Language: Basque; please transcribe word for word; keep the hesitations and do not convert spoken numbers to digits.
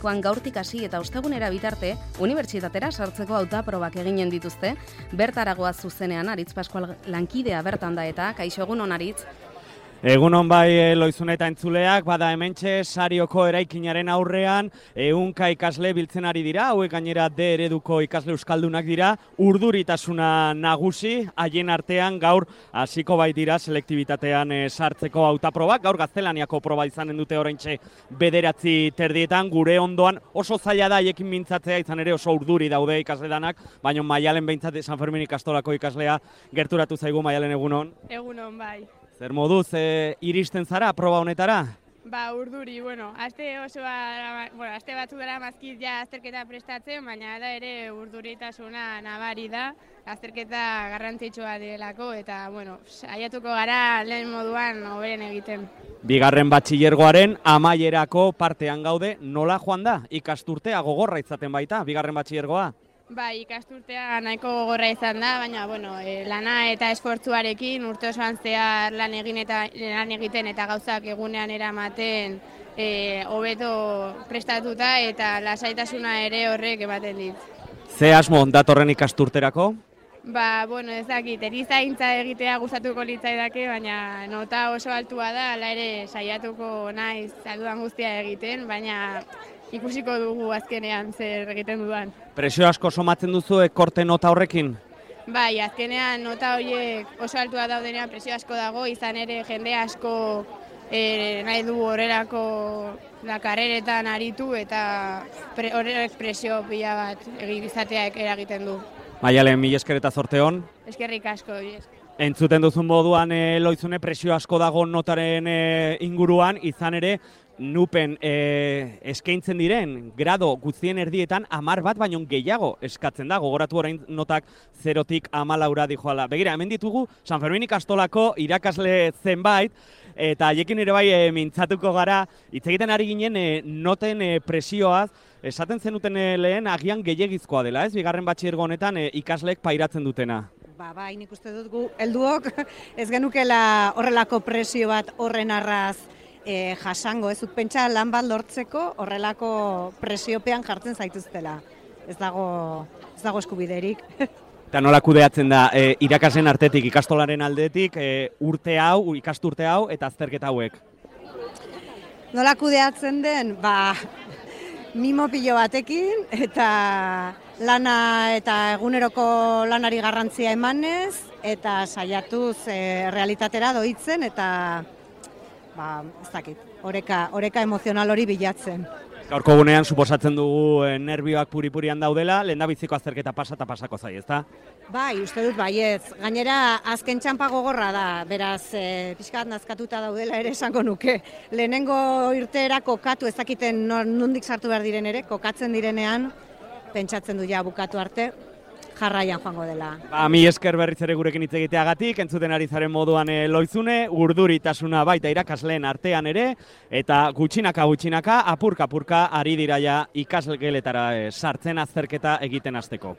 Joan gaurtik hasi eta ostegunera bitarte, unibertsitatera sartzeko hautaprobak eginen dituzte, bertaragoa zuzenean Aritz Pascual lankidea bertan da eta, kaixo egunon Aritz. Egunon bai Loizune eta entzuleak, bada hementxe Sarioko eraikinaren aurrean, ehunka ikasle biltzen ari dira, hauek gainera D ereduko ikasle euskaldunak dira, urduritasuna nagusi, haien artean gaur hasiko bait dira selektibitatean e, sartzeko hautaprobak, gaur gaztelaniako proba izanen dute oraintxe bederatzi terdietan, gure ondoan oso zaila da haiekin mintzatzea, izan ere oso urduri daude ikasle danak, baina Maialen behintzat San Fermin ikastolako ikaslea gerturatu zaigu. Maialen, egunon? Egunon, bai. Zer moduz e, iristen zara proba honetara? Ba, urduri, bueno, aste oso, bueno, aste batzu dara mazkit ja azterketa prestatzen, baina da ere urduritasuna nabari da, azterketa garrantzitsua delako, eta, bueno, saiatuko gara lehen moduan hoberen egiten. Bigarren batxilergoaren amaierako partean gaude, nola joan da? Ikasturtea gogorra izaten baita, bigarren batxilergoa? Bai, ikasturtea nahiko gogorra izan da, baina bueno, e, lana eta esfortzuarekin urte osoan zehar lan egin eta lan egiten eta gauzak egunean eramaten hobeto e, prestatuta eta lasaitasuna ere horrek ematen dit. Ze asmo datorren ikasturterako? Ba, bueno, ez dakit, erizaintza egitea gustatuko litzaidake, baina nota oso altua da, hala ere saiatuko naiz dudan guztia egiten, baina ikusiko dugu azkenean zer egiten dudan. Presio asko somatzen duzu korte nota horrekin? Bai, azkenean nota horiek oso altua daudenean presio asko dago, izan ere jende asko e, nahi du horrelako la karreretan aritu eta pre, horrek presio pila bat egizateak eragiten du. Maialen, mila esker eta zorte hon. Eskerrik asko. Entzuten duzun moduan e, Loizune, presio asko dago notaren e, inguruan, izan ere nupen e, eskaintzen diren grado guztien erdietan hamar bat baino gehiago eskatzen da, gogoratu orain notak zerotik hamalaura dijoala. Begira, hemen ditugu San Fermin ikastolako irakasle zenbait, eta haiekin ere bai e, mintzatuko gara, hitz egiten ari ginen e, noten e, presioaz, esaten zenuten e, lehen agian gehiegizkoa dela, ez? Bigarren batxilergo honetan e, ikasleek pairatzen dutena. Ba, bai, nik uste dut gu, helduok ez genukela horrelako presio bat horren arraz e, jasango, ez dut pentsa lan bat lortzeko horrelako presiopean jartzen zaituztela. Ez dago, ez dago eskubiderik. Eta nola kudeatzen da, e, irakasen artetik, ikastolaren aldetik, e, urte hau, ikasturte hau eta azterketa hauek? Nola kudeatzen den, ba, mimo pilo batekin eta lana eta eguneroko lanari garrantzia emanez eta saiatuz e, realitatera doitzen eta ba, ez dakit, oreka, oreka emozional hori bilatzen. Gaurko gunean suposatzen dugu e, nerbioak puri-purian daudela, lehendabiziko azterketa pasa eta pasako zai, ezta? Bai, uste dut baietz. Gainera azken txanpa gogorra da, beraz e, pixka bat nazkatuta daudela ere esango nuke. Lehenengo irteera kokatu, ez dakiten nondik sartu behar diren ere, kokatzen direnean, pentsatzen du ja bukatu arte, jarraian joango dela. Ba, mi esker berriz ere gurekin hitz egiteagatik, entzuten ari zaren moduan e, Loizune, urduritasuna baita irakasleen artean ere, eta gutxinaka gutxinaka, apurka apurka ari dira ja ikasgeletara e, sartzen azterketa egiten hasteko.